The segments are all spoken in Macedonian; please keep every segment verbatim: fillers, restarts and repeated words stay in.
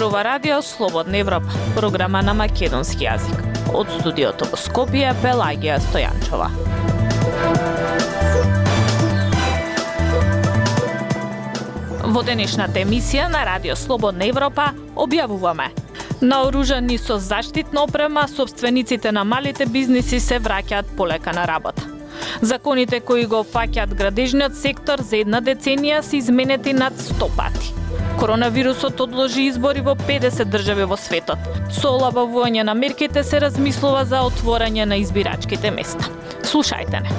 Зборува радио Слободна Европа, програма на македонски јазик. Од студиото во Скопје, Пелагија Стојанчова. Во денешната емисија на радио Слободна Европа објавуваме: наоружани со заштитна опрема, собствениците на малите бизниси се враќаат полека на работа. Законите кои го фаќаат градежниот сектор за една деценија се изменети над сто пати. Коронавирусот одложи избори во педесет држави во светот. Со олабавување на мерките се размислува за отворање на избирачките места. Слушајте не.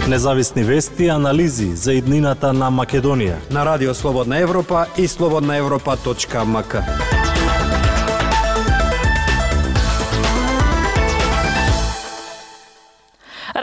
Независни вести и анализи за иднината на Македонија на радио Слободна Европа и слободна европа точка ем ка.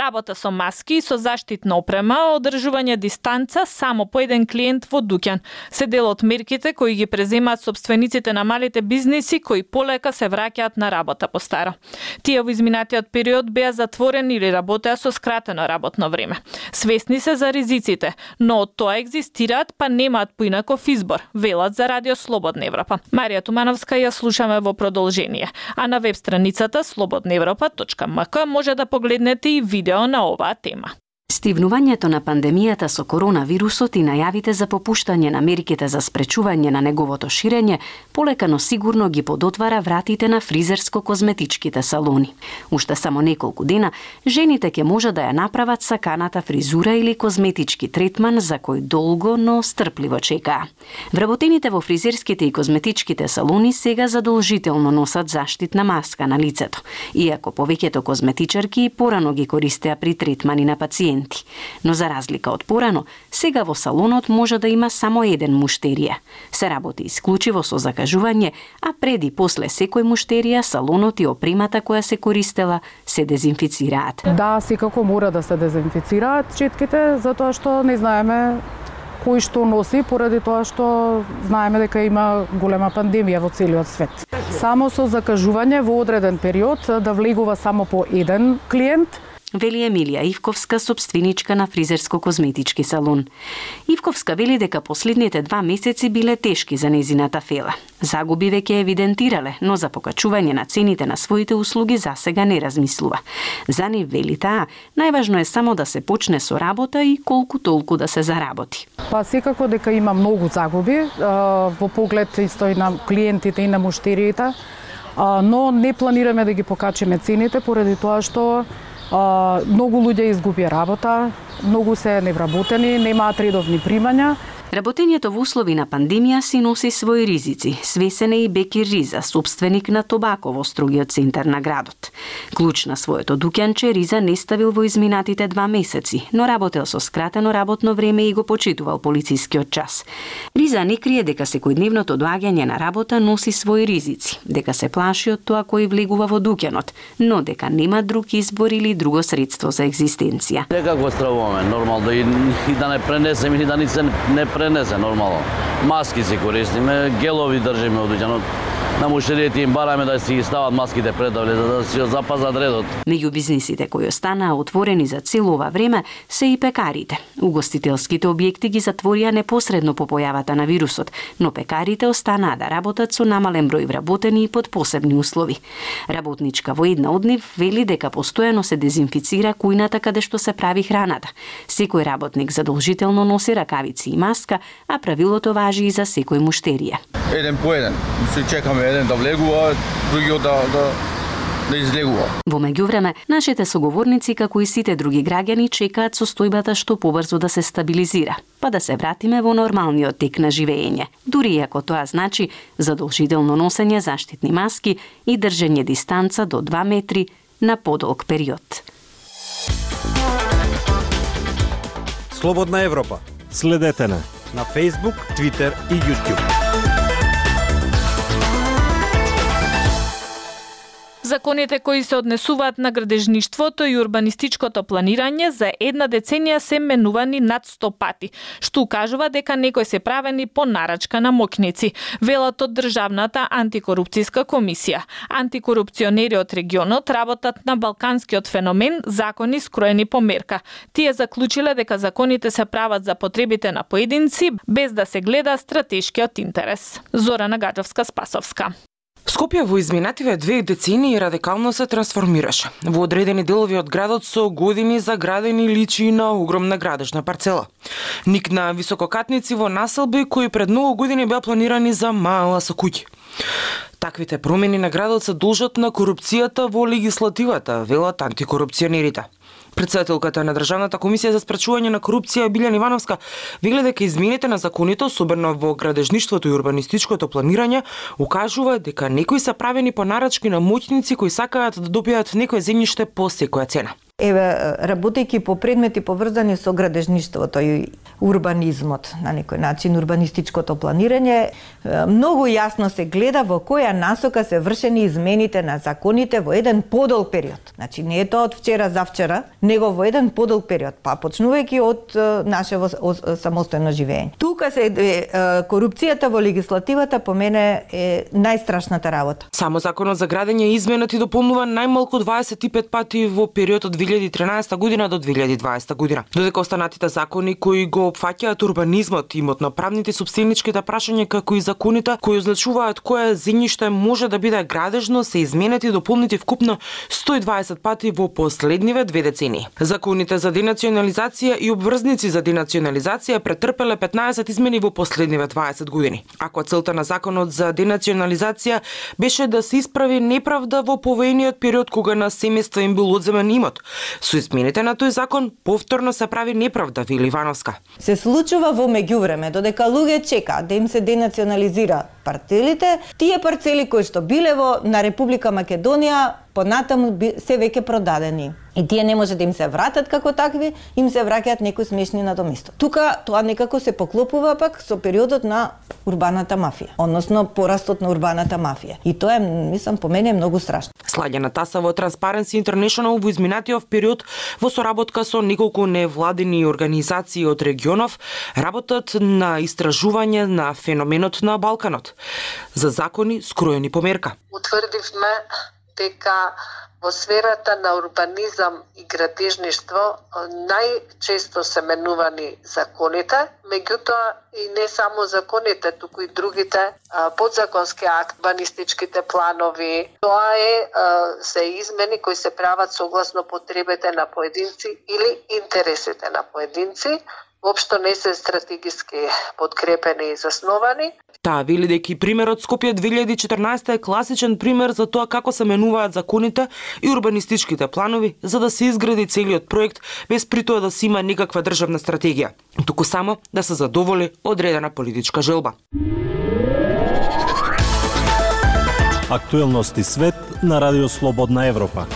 Работа со маски и со заштитна опрема, одржување дистанца само по еден клиент во дуќан се дел од мерките кои ги преземаат собствениците на малите бизниси кои полека се враќаат на работа по старо. Тие во изминатиот период беа затворени или работеа со скратено работно време. Свесни се за ризиците, но од тоа екзистираат па немаат поинаков избор, велат за радио Слободна Европа. Марија Тумановска ја слушаме во продолжение, а на веб страницата слободна европа точка ем ка може да погледнете и видео на оваа тема. Стивнувањето на пандемијата со коронавирусот и најавите за попуштање на мерките за спречување на неговото ширење полека но сигурно ги подотвара вратите на фризерско-козметичките салони. Уште само неколку дена жените ќе може да ја направат саканата фризура или козметички третман за кој долго, но стрпливо чекаа. Вработените во фризерските и козметичките салони сега задолжително носат заштитна маска на лицето, иако повеќето козметичарки порано ги користеа при третмани на пациенти. Но за разлика од порано, сега во салонот може да има само еден муштерија. Се работи исклучиво со закажување, а пред и после секој муштерија салонот и опремата која се користела се дезинфицираат. Да, секако мора да се дезинфицираат четките, затоа што не знаеме кој што носи, поради тоа што знаеме дека има голема пандемија во целиот свет. Само со закажување во одреден период да влегува само по еден клиент, вели Емилија Ивковска, собственичка на фризерско-козметички салон. Ивковска вели дека последните два месеци биле тешки за незината фела. Загуби веќе евидентирале, но за покачување на цените на своите услуги засега не размислува. За нив, вели таа, најважно е само да се почне со работа и колку толку да се заработи. Па секако дека има многу загуби во поглед исто и на клиентите и на муштериите, но не планираме да ги покачиме цените поради тоа што Uh, многу луѓе изгубија работа, многу се невработени, немаат редовни примања. Работењето во услови на пандемија си носи своји ризици, свесен е и Бекир Риза, собственик на Тобако во строгиот центар на градот. Клуч на своето дуќанче Риза не ставил во изминатите два месеци, но работел со скратено работно време и го почитувал полицискиот час. Риза не крие дека секојдневното доаѓање на работа носи своји ризици, дека се плаши од тоа кој влегува во дуќанот, но дека нема друг избор или друго средство за екзистенција. Некако стравуваме, нормално и, и да не пренесеме и да ни се не пренесе нормално. Маски си користиме, гелови држиме од дуќанот. На муштериите им бараме да си ги стават маските предавле, за да си ја запазат редот. Меѓу бизнисите кои останаа отворени за цело ова време се и пекарите. Угостителските објекти ги затворија непосредно по појавата на вирусот, но пекарите останаа да работат со намален број вработени и под посебни услови. Работничка во една од нив вели дека постојано се дезинфицира кујната каде што се прави храната. Секој работник задолжително носи ракавици и маска, а правилото важи и за секој муштерија. Еден по еден, се чекаме еден да влегува, другиот да, да, да излегува. Во меѓувреме, нашите соговорници, како и сите други граѓани, чекаат состојбата што побрзо да се стабилизира, па да се вратиме во нормалниот тек на живење. Дури ако тоа значи задолжително носење заштитни маски и држење дистанца до два метри на подолг период. Слободна Европа. Следете на на Facebook, Twitter и YouTube. Законите кои се однесуваат на градежништвото и урбанистичкото планирање за една деценија се менувани над сто пати, што укажува дека некои се правени по нарачка на моќници, велат од Државната антикорупцијска комисија. Антикорупционери од регионот работат на балканскиот феномен закони скроени по мерка. Тие заклучиле дека законите се прават за потребите на поединци без да се гледа стратешкиот интерес. Зорана Гаджовска-Спасовска. Скопје во изминативе две децении радикално се трансформираше. Во одредени делови од градот со години заградени личи на огромна градежна парцела. Никна висококатници во населби кои пред многу години беа планирани за мала со куќи. Таквите промени на градот се должат на корупцијата во легислативата, велат антикорупционерите. Председателката на Државната комисија за спречување на корупција Билјана Ивановска вели дека измените на законите, особено во градежништвото и урбанистичкото планирање, укажува дека некои се правени по нарачки на моќници кои сакаат да добијат некое земјиште по секоја цена. Еве, работејќи по предмети поврзани со градежништвото и урбанизмот, на некој начин урбанистичкото планирање, многу јасно се гледа во која насока се вршени измените на законите во еден подолг период. Значи не е тоа од вчера за вчера, него во еден подолг период, па почнувајќи од нашево самостојно живење. Тука се е, корупцијата во легислативата по мене е најстрашната работа. Само законот за градење е изменет и дополнува најмалку дваесет и пет пати во период од две илјади и тринаесетта година до две илјади и дваесетта година. Додека останатите закони кои го опфаќаат урбанизмот, имотно-правните и сопстеничките прашања како и законите кои означуваат кое земјиште може да биде градежно се изменети и дополнети вкупно сто и дваесет пати во последниве две децении. Законите за денационализација и обврзници за денационализација претрпеле петнаесет измени во последниве дваесет години. Ако целта на законот за денационализација беше да се исправи неправда во повоениот период кога на семејства им бил одземен имот, со измените на тој закон повторно се прави неправда, вели Ивановска. Се случува во меѓувреме, додека луѓе чекаат да им се денационализира парцелите, тие парцели кои што биле во на Република Македонија понатаму се веќе продадени. И тие не може да им се вратат како такви, им се враќаат некои смешни надоместо. Тука тоа некако се поклопува пак со периодот на урбаната мафија, односно порастот на урбаната мафија. И тоа е, мислам, по мене е многу страшно. Слагена таса во Transparency International во изминатиот период во соработка со неколку невладини организации од регионов работат на истражување на феноменот на Балканот за закони скроени по мерка. Утврдивме дека во сферата на урбанизам и градежништво најчесто се менувани законите, меѓутоа и не само законите, туку и другите подзаконски акт, урбанистичките планови. Тоа е се измени кои се прават согласно потребите на поединци или интересите на поединци, воопшто не се стратегиски подкрепени и засновани. Таа вели дека и примерот Скопје две илјади и четрнаесетта е класичен пример за тоа како се менуваат законите и урбанистичките планови за да се изгради целиот проект без при тоа да се има никаква државна стратегија, туку само да се задоволи одредена политичка желба. Актуелности свет на Радио Слободна Европа.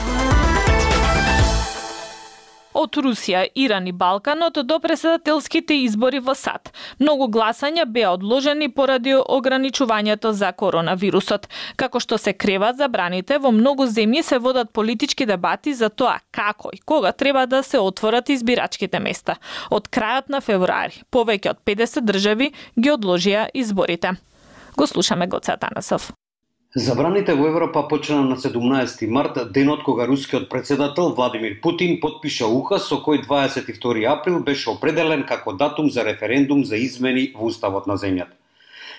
Од Русија, Иран и Балканот до претседателските избори во САД. Многу гласања беа одложени поради ограничувањето за коронавирусот. Како што се креват забраните, во многу земји се водат политички дебати за тоа како и кога треба да се отворат избирачките места. Од крајот на февруари, повеќе од педесет држави ги одложија изборите. Го слушаме Гоце Атанасов. Забраните во Европа почна на седумнаесети март, денот кога рускиот претседател Владимир Путин потпиша указ со кој дваесет и втори април беше определен како датум за референдум за измени во уставот на земјата.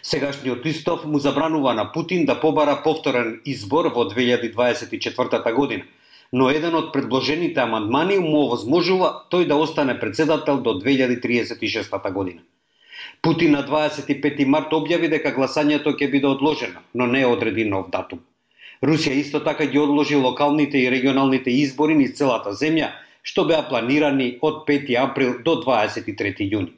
Сегашниот устав му забранува на Путин да побара повторен избор во две илјади дваесет и четвртата година, но еден од предложените амандмани му овозможува тој да остане претседател до две илјади триесет и шестата година. Путин на дваесет и пети март објави дека гласањето ќе биде одложено, но не одреди нов датум. Русија исто така ги одложи локалните и регионалните избори низ целата земја, што беа планирани од пети април до дваесет и трети јуни.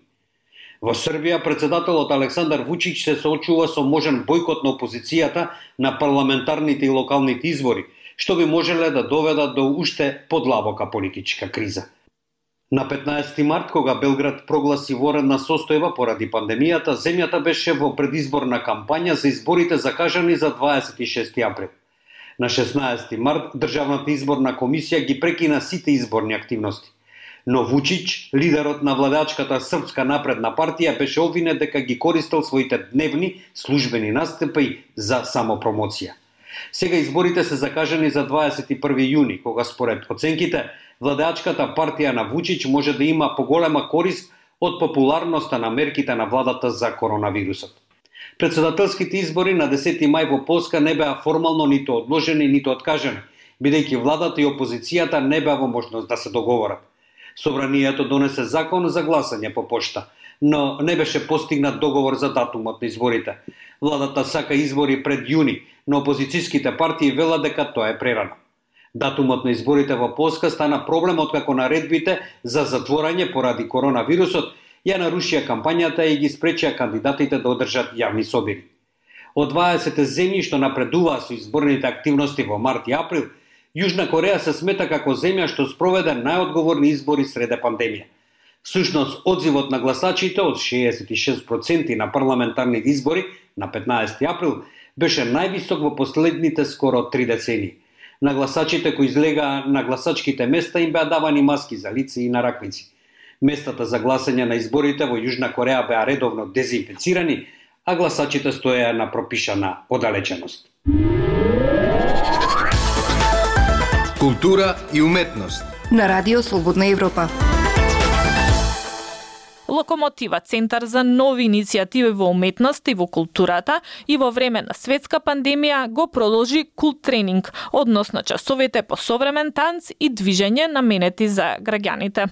Во Србија претседателот Александар Вучич се соочува со можен бојкот на опозицијата на парламентарните и локалните избори, што би можеле да доведат до уште подлабока политичка криза. На петнаесети март, кога Белград прогласи воредна состојба поради пандемијата, земјата беше во предизборна кампања за изборите закажани за дваесет и шести април. На шеснаесети март Државната изборна комисија ги прекина сите изборни активности. Но Вучич, лидерот на владачката Српска напредна партија, беше обвинет дека ги користел своите дневни службени настапи за самопромоција. Сега изборите се закажани за дваесет и први јуни, кога според оценките владачката партија на Вучич може да има поголема корист од популарноста на мерките на владата за коронавирусот. Председателските избори на десети мај во Полска не беа формално ниту одложени, ниту откажани, бидејќи владата и опозицијата не беа во можност да се договорат. Собранието донесе закон за гласање по пошта, но не беше постигнат договор за датумот на изборите. Владата сака избори пред јуни, но опозицијските партии велат дека тоа е прерано. Датумот на изборите во Полска стана проблем откако наредбите за затворање поради коронавирусот ја нарушија кампањата и ги спречија кандидатите да одржат јавни собери. Од дваесет земји што напредуваа со изборните активности во март и април, Јужна Кореја се смета како земја што спроведе најодговорни избори среде пандемија. Всушност, одзивот на гласачите од шеесет и шест проценти на парламентарните избори на петнаесети април беше највисок во последните скоро три децении. На гласачите кои излегаа на гласачките места им беа давани маски за лице и на раквици. Местата за гласање на изборите во Јужна Кореја беа редовно дезинфицирани, а гласачите стоеа на пропишана оддалеченост. Култура и уметност на Радио Слободна Европа. Локомотива, центар за нови иницијативи во уметност и во културата, и во време на светска пандемија го продолжи култ тренинг, односно часовите по современ танц и движење наменети за граѓаните.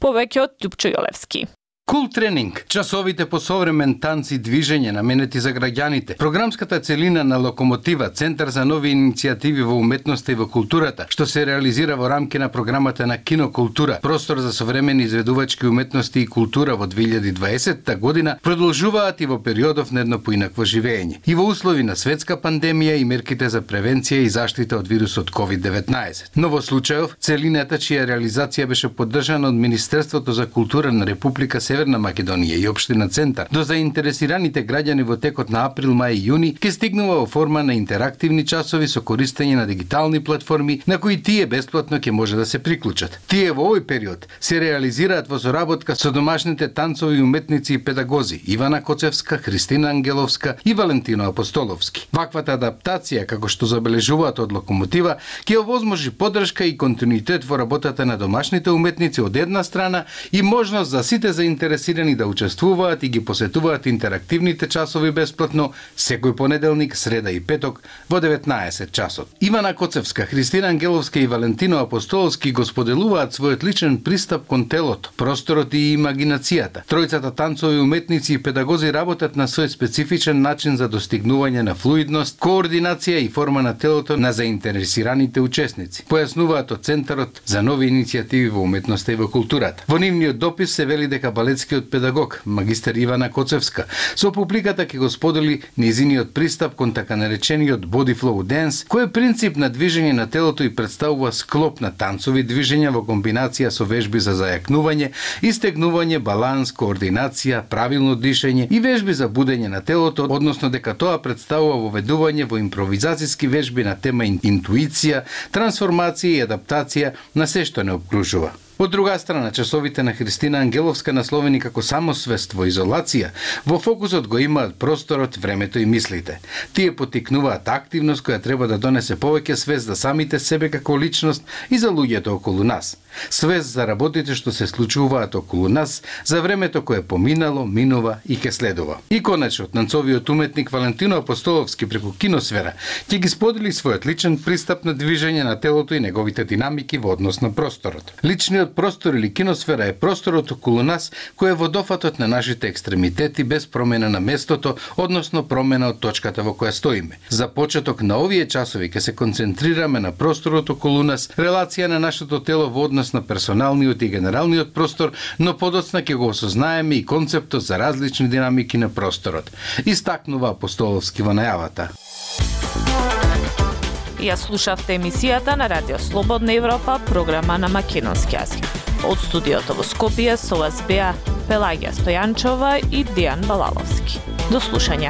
Повеќе од Љупчо Јолевски. Култ тренинг, часовите по современ танц и движење наменети за граѓаните. Програмската целина на Локомотива, центар за нови иницијативи во уметноста и во културата, што се реализира во рамки на програмата на Кинокултура, простор за современи изведувачки уметности и култура во две илјади и дваесетта година, продолжуваат и во периодов на едно поинакво живење. И во услови на светска пандемија и мерките за превенција и заштита од вирусот ковид деветнаесет. Но во случајов, целината чија реализација беше поддржана од Министерството за култура на Република Северна Македонија и општина Центар, до заинтересираните граѓани во текот на април, мај и јуни, ќе стигнува во форма на интерактивни часови со користење на дигитални платформи на кои тие бесплатно ќе може да се приклучат. Тие во овој период се реализираат во соработка со домашните танцови уметници и педагози Ивана Коцевска, Христина Ангеловска и Валентино Апостоловски. Ваквата адаптација, како што забележуваат од Локомотива, ќе овозможи поддршка и континуитет во работата на домашните уметници од една страна и можност за сите заинтересирани заинтересирани да учествуваат и ги посетуваат интерактивните часови бесплатно секој понеделник, среда и петок во деветнаесет часот. Ивана Коцевска, Христина Ангеловска и Валентино Апостоловски го споделуваат својот личен пристап кон телото, просторот и имагинацијата. Тројцата танцови уметници и педагози работат на свој специфичен начин за достигнување на флуидност, координација и форма на телото на заинтересираните учесници. Појаснуваат од Центарот за нови иницијативи во уметноста и во културата. Во нивниот допис се вели дека балетскиот педагог, магистер Ивана Коцевска, со публиката ќе го сподели низиниот пристап кон така наречениот body flow dance, кој е принцип на движење на телото и представува склоп на танцови движења во комбинација со вежби за зајакнување, истегнување, баланс, координација, правилно дишење и вежби за будење на телото, односно дека тоа представува воведување во импровизацијски вежби на тема интуиција, трансформација и адаптација на се што не обкружува. Од друга страна, часовите на Христина Ангеловска, насловени како самосвест во изолација, во фокусот го имаат просторот, времето и мислите. Тие поттикнуваат активност која треба да донесе повеќе свест за самите себе како личност и за луѓето околу нас. Свест за работите што се случуваат околу нас, за времето кое поминало, минува и ке следува. И конечно, танцовиот уметник Валентино Апостоловски преку Киносфера ќе ги сподели својот личен пристап на движење на телото и неговите динамики во однос на просторот. Личниот простор или киносфера е просторот околу нас кој е водофатот на нашите екстремитети без промена на местото, односно промена од точката во која стоиме. За почеток на овие часови ќе се концентрираме на просторот околу нас, релација на нашето тело во однос на персоналниот и генералниот простор, но подоцна ќе го осознаеме и концептот за различни динамики на просторот. Истакнува Апостоловски во најавата. Ја слушавте емисијата на Радио Слободна Европа, програма на македонски јазик. Од студиото во Скопје со вас беа Пелагија Стојанчова и Дејан Балаловски. До слушање.